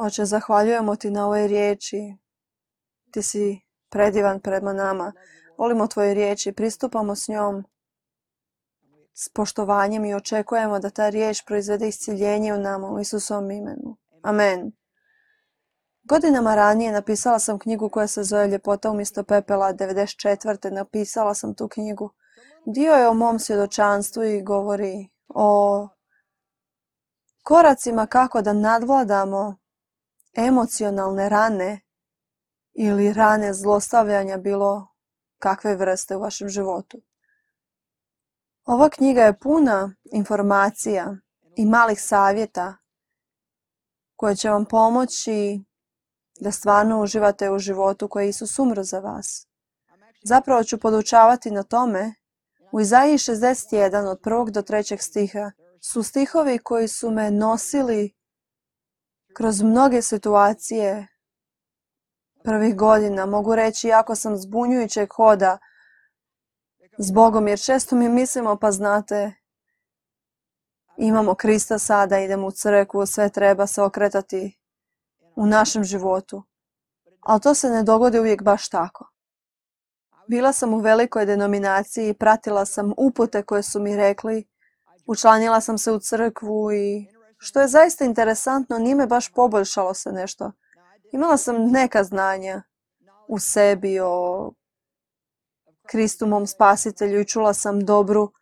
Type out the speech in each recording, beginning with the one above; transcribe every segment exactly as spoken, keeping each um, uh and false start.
Oče, zahvaljujemo ti na ovoj riječi. Ti si predivan prema nama. Volimo tvoje riječi, pristupamo s njom s poštovanjem i očekujemo da ta riječ proizvede isciljenje u nama u Isusovom imenu. Amen. Godinama ranije napisala sam knjigu koja se zove Ljepota umjesto pepela. devedeset četvrte. napisala sam tu knjigu. Dio je o mom svjedočanstvu i govori o koracima kako da nadvladamo emocionalne rane ili rane zlostavljanja bilo kakve vrste u vašem životu. Ova knjiga je puna informacija i malih savjeta koje će vam pomoći da stvarno uživate u životu koji je Isus umro za vas. Zapravo ću podučavati na tome. U Izaiji šezdeset jedan od prvog do trećeg stiha su stihovi koji su me nosili kroz mnoge situacije prvih godina. Mogu reći jako sam zbunjujućeg hoda s Bogom, jer često mi mislimo, pa znate, imamo Krista sada, idemo u crkvu, sve treba se okretati u našem životu. Ali to se ne dogodi uvijek baš tako. Bila sam u velikoj denominaciji i pratila sam upute koje su mi rekli. Učlanila sam se u crkvu i što je zaista interesantno, nije me baš poboljšalo se nešto. Imala sam neka znanja u sebi o Kristu mom spasitelju i čula sam dobru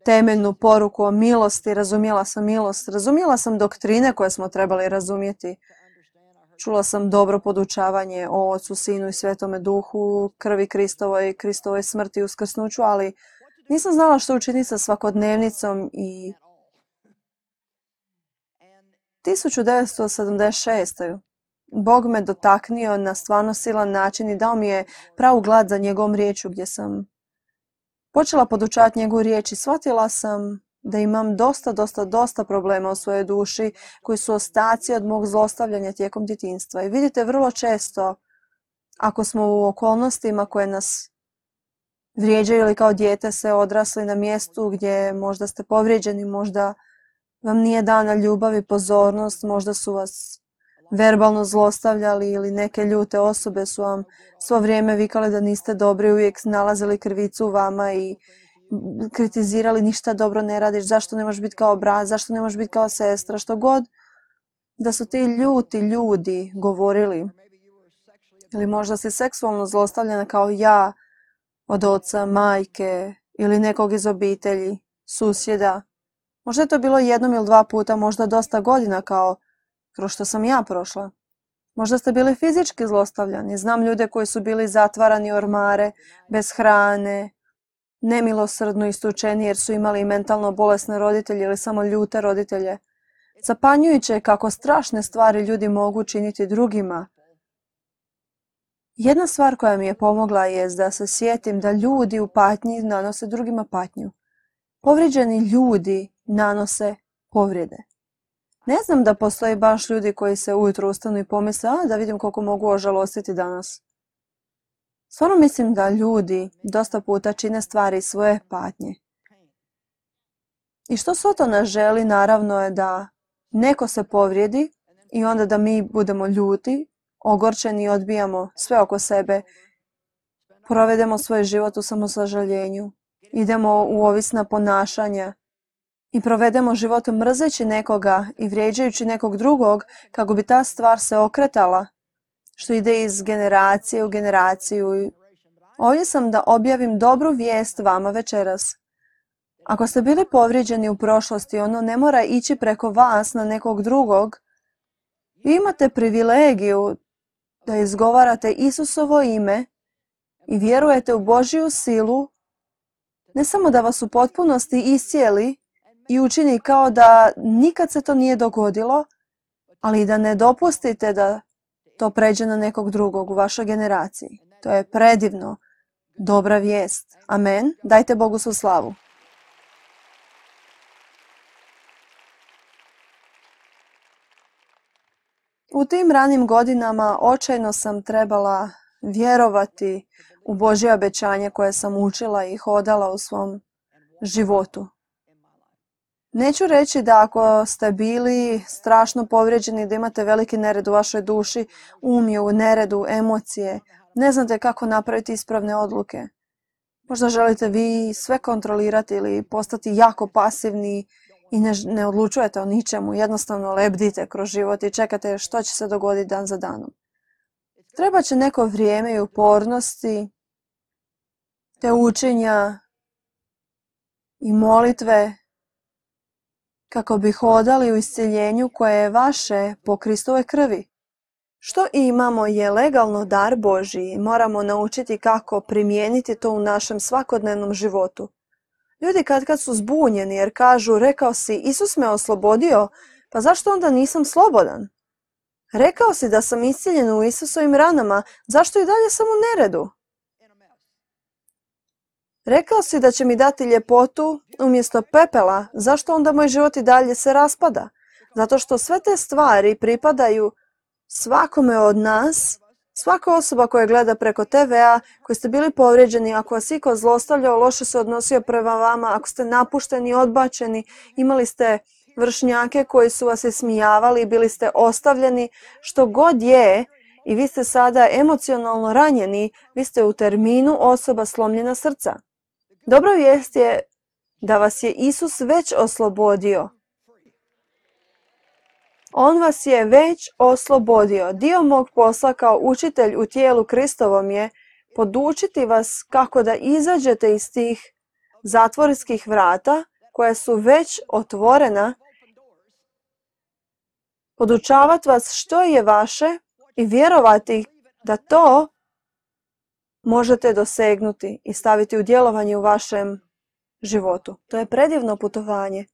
temeljnu poruku o milosti, razumjela sam milost, razumjela sam doktrine koje smo trebali razumjeti. Čula sam dobro podučavanje o Ocu, Sinu i Svetome Duhu, krvi Kristovoj, Kristovoj smrti i uskrsnuću, ali nisam znala što učiniti sa svakodnevnicom i tisuću devetsto sedamdeset šeste. Bog me dotaknio na stvarno silan način i dao mi je pravu glad za njegovom riječju gdje sam počela podučavati njegovu riječ i shvatila sam da imam dosta, dosta, dosta problema u svojoj duši koji su ostaci od mog zlostavljanja tijekom djetinjstva. I vidite, vrlo često, ako smo u okolnostima koje nas vrijeđaju ili kao dijete se odrasli na mjestu gdje možda ste povrijeđeni, možda vam nije dana ljubav i pozornost, možda su vas verbalno zlostavljali ili neke ljute osobe su vam svo vrijeme vikale da niste dobri, uvijek nalazili krivicu u vama i kritizirali ništa dobro ne radiš, zašto ne možeš biti kao brat, zašto ne možeš biti kao sestra, što god da su ti ljuti ljudi govorili. Ili možda si seksualno zlostavljena kao ja od oca, majke ili nekog iz obitelji, susjeda. Možda je to bilo jednom ili dva puta, možda dosta godina kao kroz što sam ja prošla. Možda ste bili fizički zlostavljani. Znam ljude koji su bili zatvarani u ormare, bez hrane, nemilosrdno istučeni jer su imali mentalno bolesne roditelje ili samo ljute roditelje. Zapanjujuće je kako strašne stvari ljudi mogu činiti drugima. Jedna stvar koja mi je pomogla je da se sjetim da ljudi u patnji nanose drugima patnju. Povrijeđeni ljudi nanose povrede. Ne znam da postoji baš ljudi koji se ujutro ustanu i pomisle, a da vidim koliko mogu ožalostiti danas. Stvarno mislim da ljudi dosta puta čine stvari iz svoje patnje. I što Sotona želi naravno je da neko se povrijedi i onda da mi budemo ljuti, ogorčeni i odbijamo sve oko sebe, provedemo svoj život u samosažaljenju, idemo u ovisna ponašanja i provedemo život mrzeći nekoga i vrijeđajući nekog drugog kako bi ta stvar se okretala, što ide iz generacije u generaciju. Ovdje sam da objavim dobru vijest vama večeras. Ako ste bili povrijeđeni u prošlosti, ono ne mora ići preko vas na nekog drugog. Vi imate privilegiju da izgovarate Isusovo ime i vjerujete u Božju silu, ne samo da vas u potpunosti iscijeli i učini kao da nikad se to nije dogodilo, ali i da ne dopustite da to pređe na nekog drugog u vašoj generaciji. To je predivno, dobra vijest. Amen. Dajte Bogu svu slavu. U tim ranim godinama očajno sam trebala vjerovati u Božje obećanje koje sam učila i hodala u svom životu. Neću reći da ako ste bili strašno povrijeđeni, da imate veliki nered u vašoj duši, um je u neredu, emocije, ne znate kako napraviti ispravne odluke. Možda želite vi sve kontrolirati ili postati jako pasivni i ne, ne odlučujete o ničemu, jednostavno lebdite kroz život i čekate što će se dogoditi dan za danom. Treba će neko vrijeme i upornosti, te učenja i molitve kako bi hodali u iscjeljenju koje je vaše po Kristovoj krvi. Što imamo je legalno dar Božji i moramo naučiti kako primijeniti to u našem svakodnevnom životu. Ljudi kad kad su zbunjeni jer kažu, rekao si, Isus me oslobodio, pa zašto onda nisam slobodan? Rekao si da sam iscjeljen u Isusovim ranama, zašto i dalje sam u neredu? Rekao si da će mi dati ljepotu umjesto pepela, zašto onda moj život i dalje se raspada? Zato što sve te stvari pripadaju svakome od nas, svaka osoba koja gleda preko te vea, koji ste bili povrijeđeni, ako vas iko zlostavljao, loše se odnosio prema vama, ako ste napušteni, odbačeni, imali ste vršnjake koji su vas ismijavali, bili ste ostavljeni, što god je, i vi ste sada emocionalno ranjeni, vi ste u terminu osoba slomljena srca. Dobra vijest je da vas je Isus već oslobodio. On vas je već oslobodio. Dio mog posla kao učitelj u tijelu Kristovom je podučiti vas kako da izađete iz tih zatvorskih vrata koja su već otvorena, podučavati vas što je vaše i vjerovati da to možete dosegnuti i staviti u djelovanje u vašem životu. To je predivno putovanje.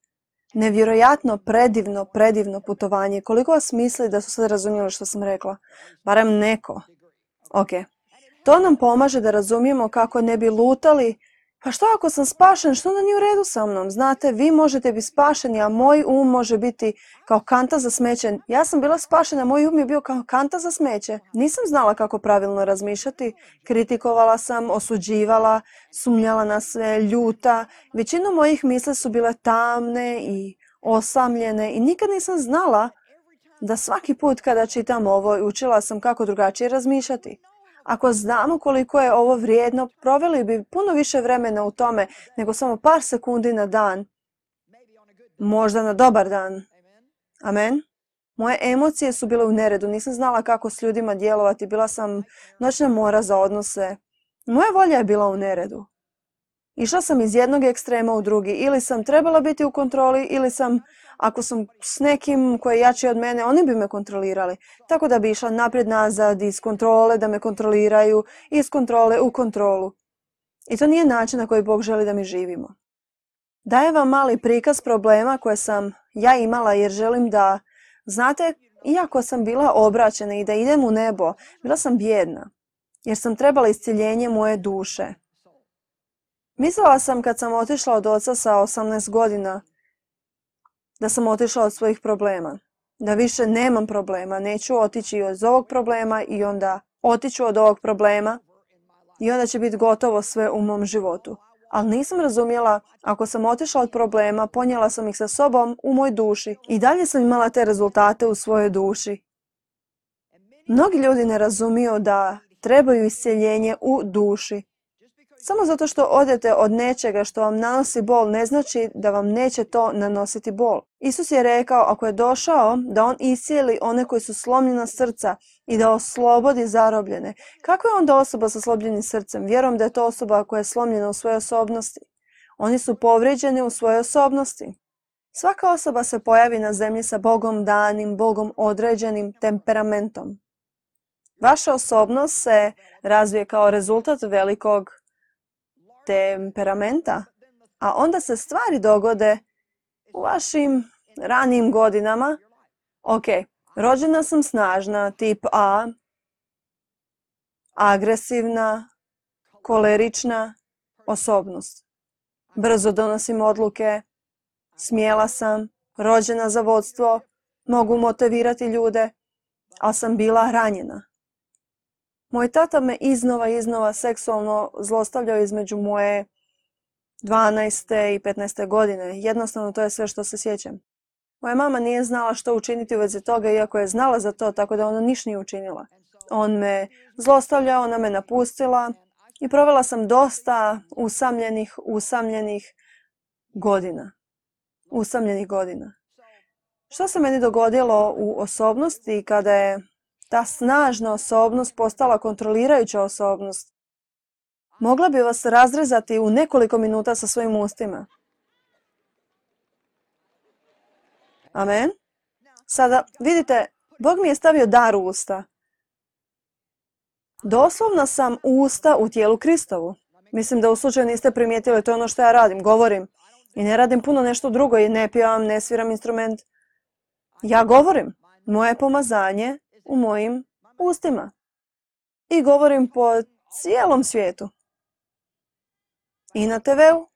Nevjerojatno predivno, predivno putovanje. Koliko vas misli da su sad razumjeli što sam rekla? Barem neko. Ok. To nam pomaže da razumijemo kako ne bi lutali. Pa što ako sam spašen, što onda nije u redu sa mnom? Znate, vi možete biti spašeni, a moj um može biti kao kanta za smeće. Ja sam bila spašena, moj um je bio kao kanta za smeće. Nisam znala kako pravilno razmišljati. Kritikovala sam, osuđivala, sumnjala na sve, ljuta. Većina mojih misli su bile tamne i osamljene i nikad nisam znala da svaki put kada čitam ovo učila sam kako drugačije razmišljati. Ako znamo koliko je ovo vrijedno, proveli bi puno više vremena u tome nego samo par sekundi na dan. Možda na dobar dan. Amen. Moje emocije su bile u neredu. Nisam znala kako s ljudima djelovati. Bila sam noćna mora za odnose. Moja volja je bila u neredu. Išla sam iz jednog ekstrema u drugi. Ili sam trebala biti u kontroli, ili sam, ako sam s nekim koji je jači od mene, oni bi me kontrolirali. Tako da bi išla naprijed nazad, iz kontrole da me kontroliraju, iz kontrole u kontrolu. I to nije način na koji Bog želi da mi živimo. Dajem vam mali prikaz problema koje sam ja imala jer želim da, znate, iako sam bila obraćena i da idem u nebo, bila sam bijedna. Jer sam trebala iscjeljenje moje duše. Mislila sam kad sam otišla od oca sa osamnaest godina, da sam otišla od svojih problema. Da više nemam problema, neću otići od ovog problema i onda otiću od ovog problema i onda će biti gotovo sve u mom životu. Ali nisam razumjela, ako sam otišla od problema, ponijela sam ih sa sobom u moj duši i dalje sam imala te rezultate u svojoj duši. Mnogi ljudi ne razumiju da trebaju iscjeljenje u duši. Samo zato što odete od nečega što vam nanosi bol ne znači da vam neće to nanositi bol. Isus je rekao ako je došao da on iscijeli one koji su slomljena srca i da oslobodi zarobljene. Kako je onda osoba sa slobljenim srcem? Vjerujem da je to osoba koja je slomljena u svojoj osobnosti. Oni su povrijeđeni u svojoj osobnosti. Svaka osoba se pojavi na zemlji sa Bogom danim, Bogom određenim temperamentom. Vaša osobnost se razvije kao rezultat velikog temperamenta, a onda se stvari dogode u vašim ranijim godinama. Ok, rođena sam snažna, tip A, agresivna, kolerična osobnost. Brzo donosim odluke, smjela sam, rođena za vodstvo, mogu motivirati ljude, ali sam bila ranjena. Moj tata me iznova iznova seksualno zlostavljao između moje dvanaeste i petnaeste godine. Jednostavno to je sve što se sjećam. Moja mama nije znala što učiniti u vezi toga, iako je znala za to, tako da ona niš nije učinila. On me zlostavljao, ona me napustila i provela sam dosta usamljenih, usamljenih godina. Usamljenih godina. Što se meni dogodilo u osobnosti kada je ta snažna osobnost postala kontrolirajuća osobnost? Mogla bi vas razrezati u nekoliko minuta sa svojim ustima. Amen. Sada, vidite, Bog mi je stavio dar u usta. Doslovno sam usta u tijelu Kristovu. Mislim da u slučaju niste primijetili, to je ono što ja radim, govorim. I ne radim puno nešto drugo i ne pjevam, ne sviram instrument. Ja govorim. Moje pomazanje u mojim ustima. I govorim po cijelom svijetu. I na te veu.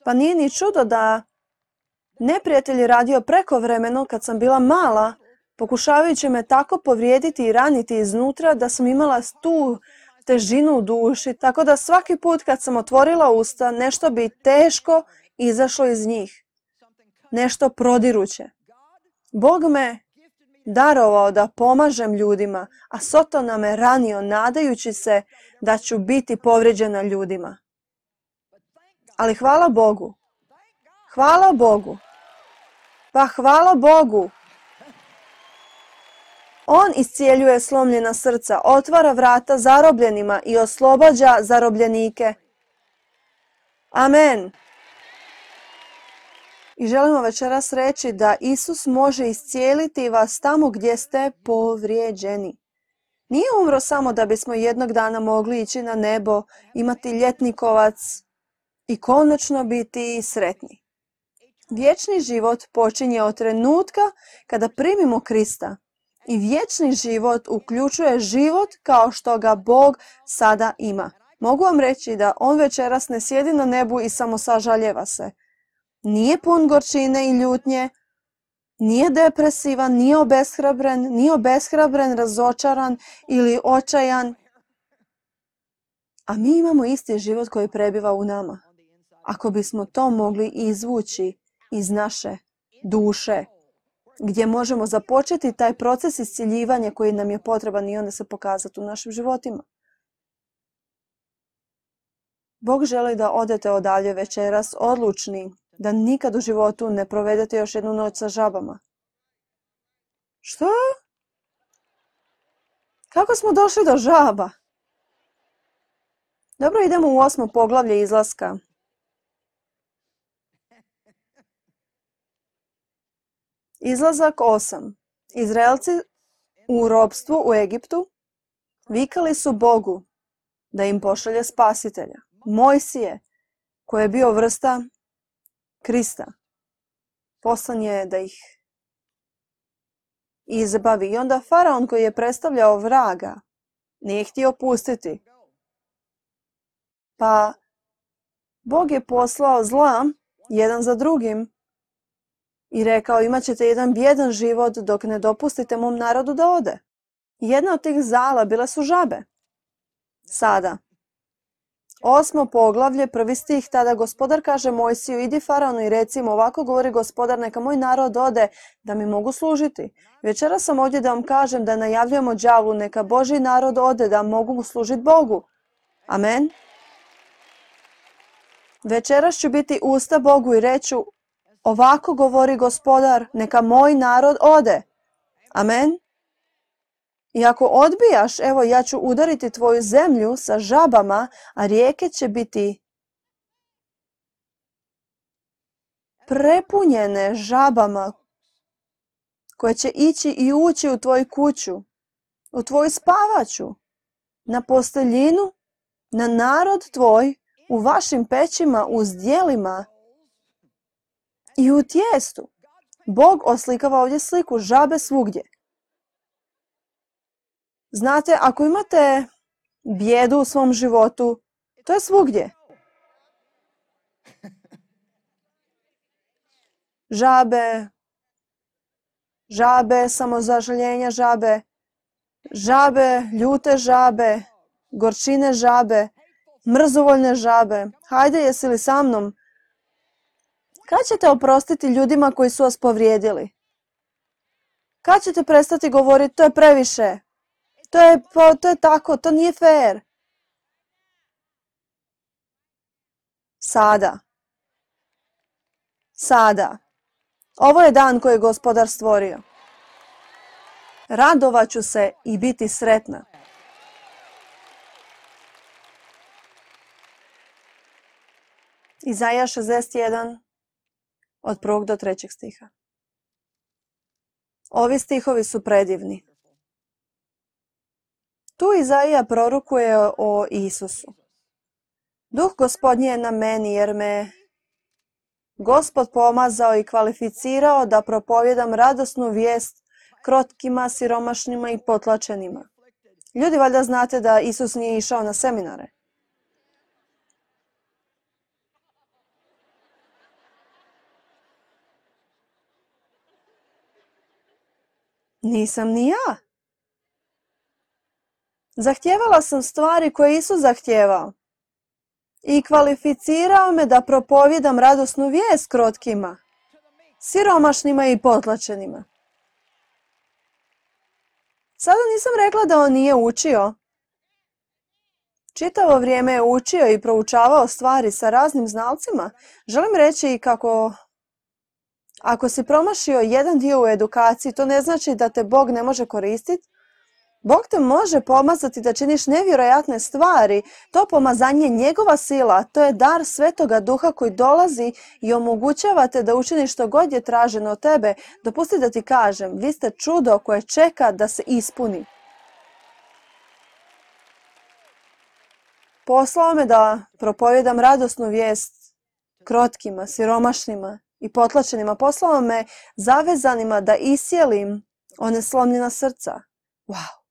Pa nije ni čudo da neprijatelj je radio prekovremeno kad sam bila mala, pokušavajući me tako povrijediti i raniti iznutra da sam imala tu težinu u duši, tako da svaki put kad sam otvorila usta, nešto bi teško izašlo iz njih. Nešto prodiruće. Bog me darovao da pomažem ljudima, a Sotona me ranio nadajući se da ću biti povrijeđena ljudima. Ali hvala Bogu. Hvala Bogu. Pa hvala Bogu. On iscijeljuje slomljena srca, otvara vrata zarobljenima i oslobađa zarobljenike. Amen. I želimo večeras reći da Isus može iscijeliti vas tamo gdje ste povrijeđeni. Nije umro samo da bismo jednog dana mogli ići na nebo, imati ljetnikovac i konačno biti sretni. Vječni život počinje od trenutka kada primimo Krista. I vječni život uključuje život kao što ga Bog sada ima. Mogu vam reći da on večeras ne sjedi na nebu i samo sažaljeva se. Nije pun gorčine i ljutnje, nije depresivan, nije obeshrabren, nije obeshrabren, razočaran ili očajan. A mi imamo isti život koji prebiva u nama. Ako bismo to mogli izvući iz naše duše, gdje možemo započeti taj proces iscijeljivanja koji nam je potreban i onda se pokazati u našim životima. Bog želi da odete odalje večeras odlučni, da nikad u životu ne provedete još jednu noć sa žabama. Što? Kako smo došli do žaba? Dobro, idemo u osmo poglavlje izlaska. Izlazak osam. Izraelci u ropstvu u Egiptu vikali su Bogu da im pošalje spasitelja. Mojsije, koji je bio vrsta Krista, poslan je da ih izbavi. I onda faraon koji je predstavljao vraga nije htio pustiti. Pa Bog je poslao zla jedan za drugim i rekao, imat ćete jedan bijedan život dok ne dopustite mom narodu da ode. Jedna od tih zala bile su žabe. Sada, osmo poglavlje, prvi stih, tada gospodar kaže Mojsiju, idi faraonu i reci im, ovako govori gospodar, neka moj narod ode da mi mogu služiti. Večeras sam ovdje da vam kažem da najavljujemo đavlu, neka Božji narod ode da mogu služiti Bogu. Amen. Večeras ću biti usta Bogu i reću, ovako govori gospodar, neka moj narod ode. Amen. I ako odbijaš, evo ja ću udariti tvoju zemlju sa žabama, a rijeke će biti prepunjene žabama koje će ići i ući u tvoju kuću, u tvoju spavaču, na posteljinu, na narod tvoj, u vašim pećima, u zdjelima i u tijestu. Bog oslikava ovdje sliku žabe svugdje. Znate, ako imate bijedu u svom životu, to je svugdje. Žabe, žabe, samozažaljenja žabe, žabe, ljute žabe, gorčine žabe. mrzovoljne žabe, hajde jesi li sa mnom? Kad ćete oprostiti ljudima koji su vas povrijedili? Kad ćete prestati govoriti to je previše? To je, to je tako, to nije fair. Sada. Sada. Ovo je dan koji je Gospodar stvorio. Radovat ću se i biti sretna. Izaja šezdeset jedan od prvog do trećeg stiha. Ovi stihovi su predivni. Tu Izaija prorokuje o Isusu. Duh Gospodnji je na meni jer me Gospod pomazao i kvalificirao da propovijedam radosnu vijest krotkima, siromašnima i potlačenima. Ljudi, valjda znate da Isus nije išao na seminare. Nisam ni ja. Zahtijevala sam stvari koje Isus zahtijevao. I kvalificirao me da propovijedam radosnu vijest krotkima, siromašnima i potlačenima. Sada nisam rekla da on nije učio. Čitavo vrijeme je učio i proučavao stvari sa raznim znalcima. Želim reći kako ako si promašio jedan dio u edukaciji, to ne znači da te Bog ne može koristiti. Bog te može pomazati da činiš nevjerojatne stvari. To pomazanje je njegova sila, to je dar Svetoga Duha koji dolazi i omogućava te da učiniš što god je traženo od tebe. Dopusti da ti kažem, vi ste čudo koje čeka da se ispuni. Poslao me da propovijedam radosnu vijest krotkima, siromašnima i potlačenima. Poslao me zavezanima da isjelim one slomljena srca. Wow!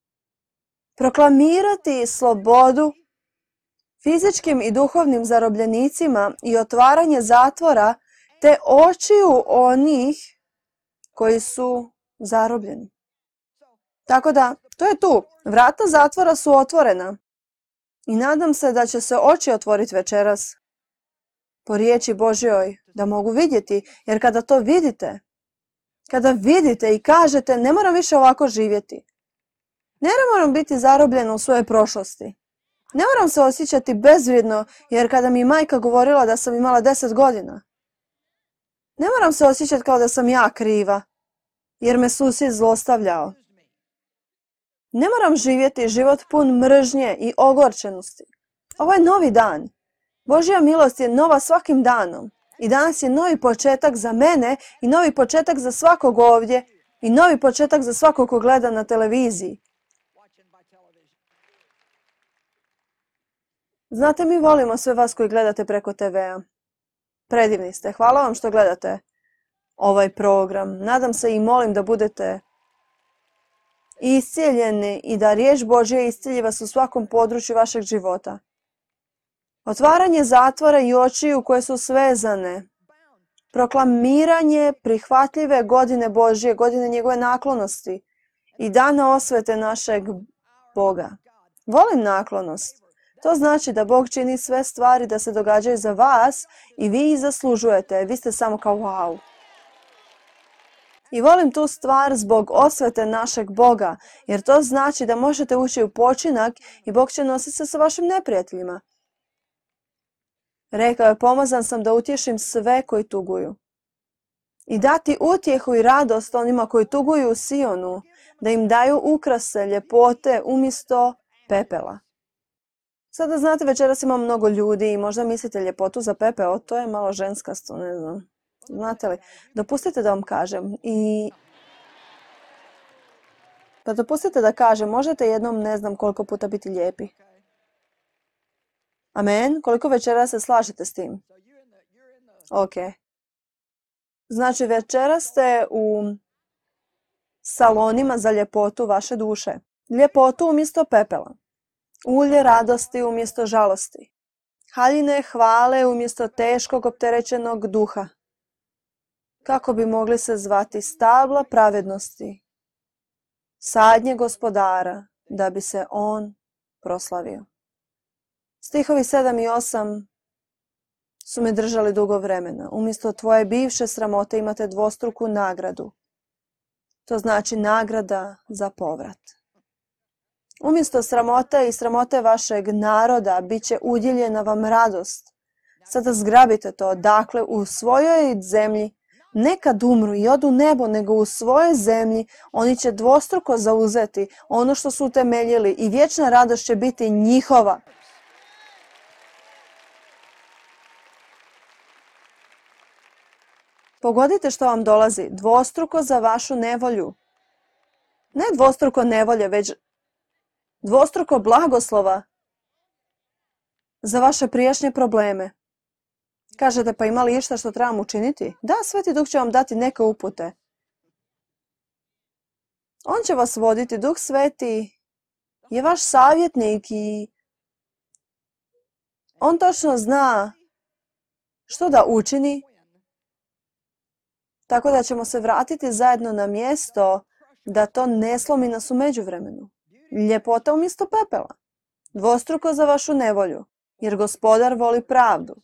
Proklamirati slobodu fizičkim i duhovnim zarobljenicima i otvaranje zatvora te očiju onih koji su zarobljeni. Tako da, to je tu. Vrata zatvora su otvorena. I nadam se da će se oči otvoriti večeras po riječi Božjoj da mogu vidjeti, jer kada to vidite, kada vidite i kažete ne moram više ovako živjeti, ne moram biti zarobljena u svojoj prošlosti, ne moram se osjećati bezvrijedno jer kada mi majka govorila da sam imala deset godina, ne moram se osjećati kao da sam ja kriva jer me susjed zlostavljao. Ne moram živjeti život pun mržnje i ogorčenosti. Ovo je novi dan. Božja milost je nova svakim danom. I danas je novi početak za mene i novi početak za svakog ovdje i novi početak za svakog ko gleda na televiziji. Znate, mi volimo sve vas koji gledate preko te vea. Predivni ste. Hvala vam što gledate ovaj program. Nadam se i molim da budete iscijeljeni i da riječ Božja iscijelji vas u svakom području vašeg života. Otvaranje zatvora i očiju koje su svezane. Proklamiranje prihvatljive godine Božje, godine njegove naklonosti i dana osvete našeg Boga. Volim naklonost. To znači da Bog čini sve stvari da se događaju za vas i vi ih zaslužujete. Vi ste samo kao wow. I volim tu stvar zbog osvete našeg Boga, jer to znači da možete ući u počinak i Bog će nositi se sa vašim neprijateljima. Rekao je, pomazan sam da utješim sve koji tuguju. I dati utjehu i radost onima koji tuguju u Sionu, da im daju ukrase, ljepote umjesto pepela. Sada znate, večeras ima mnogo ljudi i možda mislite ljepotu za pepeo, to je malo ženskasto, ne znam. Znate li, dopustite da vam kažem i... Pa dopustite da kažem, možete jednom ne znam koliko puta biti lijepi. Amen? Koliko večera se slažete s tim? Ok. Znači večera ste u salonima za ljepotu vaše duše. Ljepotu umjesto pepela. Ulje radosti umjesto žalosti. Haljine hvale umjesto teškog opterećenog duha. Kako bi mogli se zvati stabla pravednosti. Sadnje gospodara da bi se on proslavio. Stihovi sedam i osam su me držali dugo vremena. Umjesto tvoje bivše sramote imate dvostruku nagradu. To znači nagrada za povrat. Umjesto sramote i sramote vašeg naroda bit će udjeljena vam radost. Sada zgrabite to. Dakle, u svojoj zemlji ne kad umru i odu u nebo, nego u svojoj zemlji oni će dvostruko zauzeti ono što su utemeljili i vječna radost će biti njihova. Pogodite što vam dolazi. Dvostruko za vašu nevolju. Ne dvostruko nevolje, već dvostruko blagoslova za vaše prijašnje probleme. Kažete, pa ima li išta što trebam učiniti? Da, Sveti Duh će vam dati neke upute. On će vas voditi. Duh Sveti je vaš savjetnik i on točno zna što da učini. Tako da ćemo se vratiti zajedno na mjesto da to ne slomi nas u međuvremenu. Ljepota umjesto pepela. Dvostruko za vašu nevolju, jer Gospodar voli pravdu.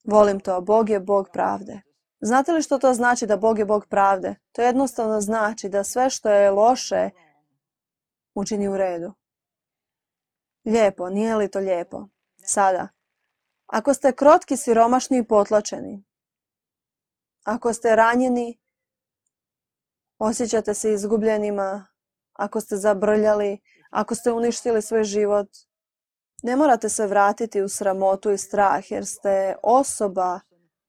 Volim to, Bog je Bog pravde. Znate li što to znači da Bog je Bog pravde? To jednostavno znači da sve što je loše učini u redu. Lijepo, nije li to lijepo? Sada, ako ste krotki, siromašni i potlačeni, ako ste ranjeni, osjećate se izgubljenima, ako ste zabrljali, ako ste uništili svoj život, ne morate se vratiti u sramotu i strah jer ste osoba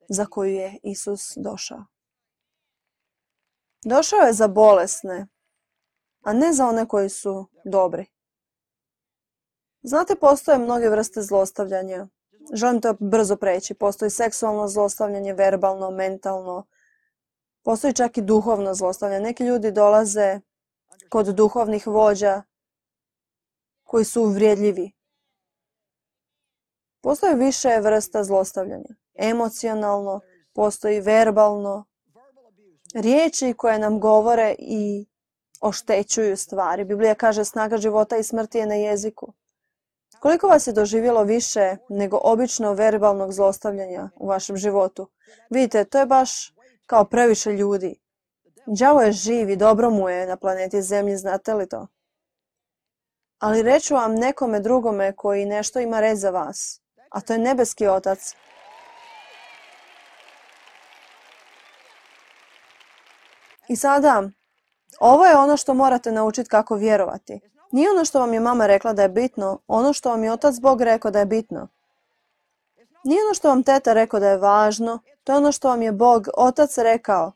za koju je Isus došao. Došao je za bolesne, a ne za one koji su dobri. Znate, postoje mnoge vrste zlostavljanja. Želim to brzo preći. Postoji seksualno zlostavljanje, verbalno, mentalno. Postoji čak i duhovno zlostavljanje. Neki ljudi dolaze kod duhovnih vođa koji su uvrijedljivi. Postoji više vrsta zlostavljanja. Emocionalno, postoji verbalno. Riječi koje nam govore i oštećuju stvari. Biblija kaže snaga života i smrti je na jeziku. Koliko vas je doživjelo više nego obično verbalnog zlostavljanja u vašem životu? Vidite, to je baš kao previše ljudi. Đavo je živ i dobro mu je na planeti Zemlji, znate li to? Ali reću vam nekome drugome koji nešto ima reći za vas, a to je nebeski Otac. I sada, ovo je ono što morate naučiti kako vjerovati. Nije ono što vam je mama rekla da je bitno, ono što vam je Otac Bog rekao da je bitno. Nije ono što vam teta rekao da je važno, to je ono što vam je Bog, Otac rekao.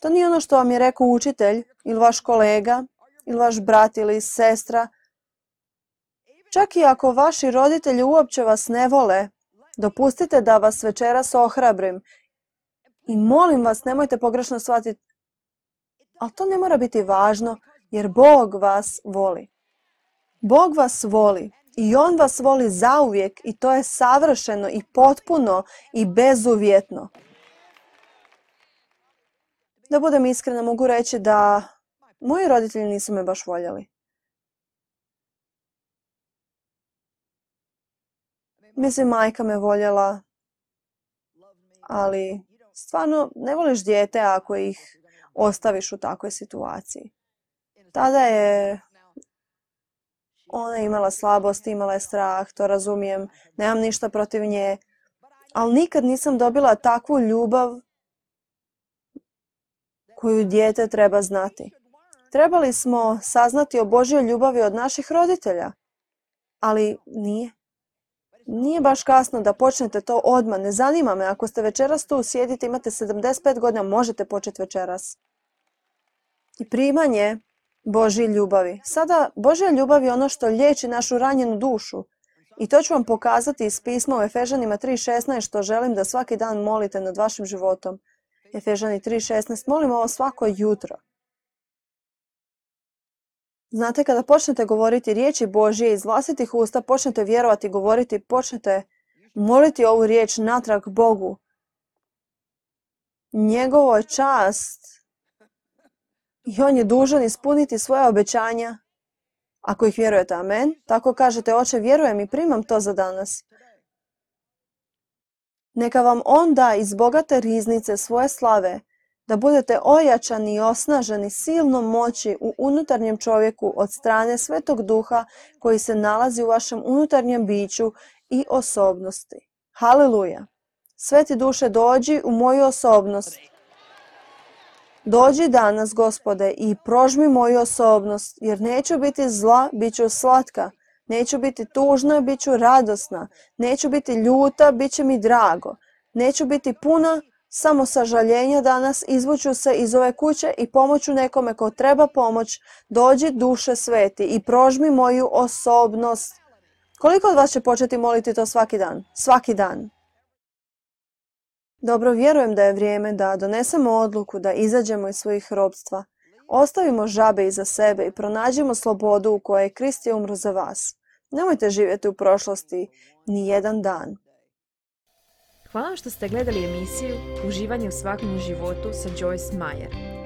To nije ono što vam je rekao učitelj ili vaš kolega ili vaš brat ili sestra. Čak i ako vaši roditelji uopće vas ne vole, dopustite da vas večeras ohrabrim. I molim vas, nemojte pogrešno shvatiti, ali to ne mora biti važno jer Bog vas voli. Bog vas voli i On vas voli zauvijek i to je savršeno i potpuno i bezuvjetno. Da budem iskrena, mogu reći da moji roditelji nisu me baš voljeli. Mislim, majka me voljela, ali stvarno ne voliš dijete ako ih ostaviš u takvoj situaciji. Tada je ona imala slabost, imala je strah, to razumijem, nemam ništa protiv nje, ali nikad nisam dobila takvu ljubav koju dijete treba znati. Trebali smo saznati o Božjoj ljubavi od naših roditelja, ali nije. Nije baš kasno da počnete to odmah, ne zanima me, ako ste večeras tu, sjedite, imate sedamdeset pet godina, možete početi večeras. I primanje Božje ljubavi. Sada, Božja ljubav je ono što liječi našu ranjenu dušu. I to ću vam pokazati iz pisma u Efežanima tri šesnaest što želim da svaki dan molite nad vašim životom. Efežani tri šesnaest, molim ovo svako jutro. Znate, kada počnete govoriti riječi Božje iz vlastitih usta, počnete vjerovati, govoriti, počnete moliti ovu riječ natrag Bogu. Njegovo je čast i On je dužan ispuniti svoje obećanja. Ako ih vjerujete, amen, tako kažete, Oče, vjerujem i primam to za danas. Neka vam On da iz bogate riznice svoje slave, da budete ojačani i osnaženi silnom moći u unutarnjem čovjeku od strane Svetog Duha koji se nalazi u vašem unutarnjem biću i osobnosti. Haleluja! Sveti Duše, dođi u moju osobnost. Dođi danas, Gospode, i prožmi moju osobnost, jer neću biti zla, bit ću slatka. Neću biti tužna, bit ću radosna. Neću biti ljuta, bit će mi drago. Neću biti puna samo sažaljenja danas, izvuću se iz ove kuće i pomoću nekome ko treba pomoć. Dođi, Duše Sveti, i prožmi moju osobnost. Koliko od vas će početi moliti to svaki dan? Svaki dan. Dobro, vjerujem da je vrijeme da donesemo odluku da izađemo iz svojih ropstva. Ostavimo žabe iza sebe i pronađimo slobodu u kojoj je Krist je umro za vas. Nemojte živjeti u prošlosti ni jedan dan. Hvala vam što ste gledali emisiju Uživanje u svakodnevnom životu sa Joyce Meyer.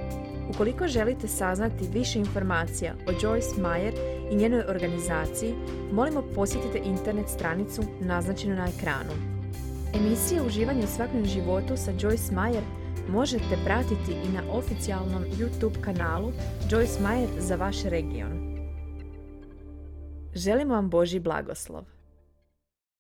Ukoliko želite saznati više informacija o Joyce Meyer i njenoj organizaciji, molimo posjetite internet stranicu naznačenu na ekranu. Emisije Uživanje u svakodnevnom životu sa Joyce Meyer možete pratiti i na oficijalnom YouTube kanalu Joyce Meyer za vaš region. Želimo vam Božji blagoslov.